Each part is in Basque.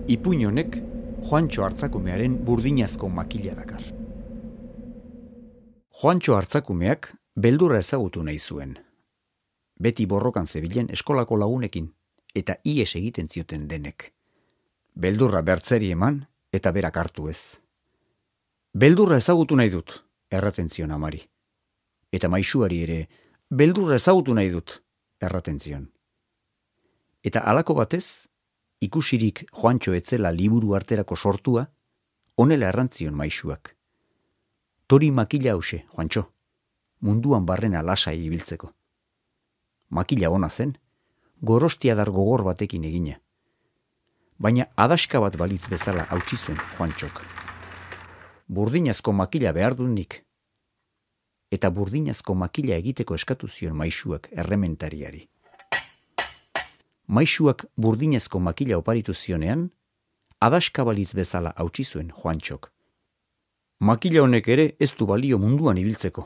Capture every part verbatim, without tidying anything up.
Ipuin honek Juantxo Artzakumearen burdinazko makila dakar. Juantxo Artzakumeak beldurra ezagutu nahi zuen. Beti borrokan zebilen eskolako lagunekin eta ihes egiten zioten denek. Beldurra bertzeri eman eta berak hartu ez. Beldurra ezagutu nahi dut, erraten zion amari. Eta maisuari ere, beldurra ezagutu nahi dut, erraten zion. Eta halako batez, ikusirik Juantxo etzela liburu arterako sortua, honela errantzion maisuak. Tori makila hause, Juantxo, munduan barrena lasai ibiltzeko. Makila ona zen, gorostiadar gogor batekin egina. Baina adaska bat balitz bezala hautsi zuen Juantxok. Burdinazko makila behar dut nik. Eta burdinazko makila egiteko eskatu zion maisuak errementariari. Maisuak burdinezko makila oparitu zionean, adaska balitz bezala hautsi zuen Juantxok. Makila honek ere ez du balio munduan ibiltzeko.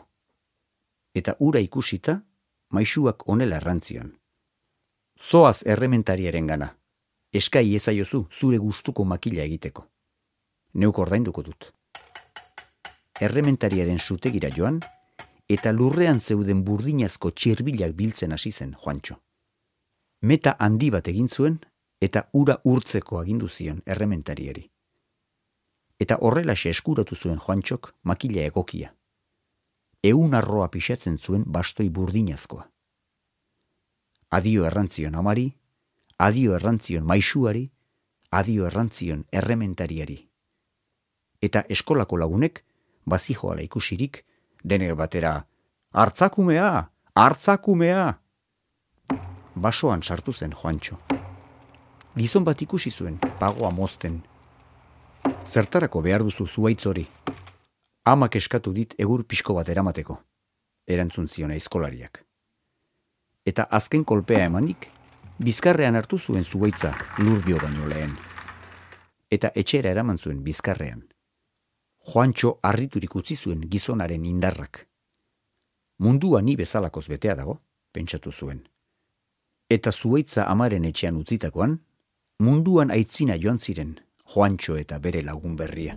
Eta ura ikusita, maisuak honela errantzion. Zoaz errementariaren gana, eskai ezaiozu zure gustuko makila egiteko. Neuk ordainduko dut. Errementariaren zutegira joan, eta lurrean zeuden burdinazko txirbilak biltzen hasi zen Juantxo. Meta handi bat egin zuen eta ura urtzeko agindu zion errementariari. Eta horrelaxe eskuratu zuen Juantxok makila egokia. Ehun arroa pixatzen zuen bastoi burdinazkoa. Adio errantzion amari, adio errantzion maisuari, adio errantzion errementariari. Eta eskolako lagunek, bazijoala ikusirik, denek batera, hartzakumea, hartzakumea! Basoan sartu zen Juantxo. Gizon bat ikusi zuen, pagoa mozten. Zertarako behar duzu zuaitz hori? Amak eskatu dit egur pixko bat eramateko, erantzun zion aizkolariak. Eta azken kolpea emanik, bizkarrean hartu zuen zuaitza lurdio baino lehen. Eta etxera eraman zuen bizkarrean. Juantxo harriturik utzi zuen gizonaren indarrak. Mundua ni bezalakoz betea dago, pentsatu zuen. Eta zuaitza amaren etxean utzitakoan, munduan aitzina joan ziren Juantxo eta bere lagun berria.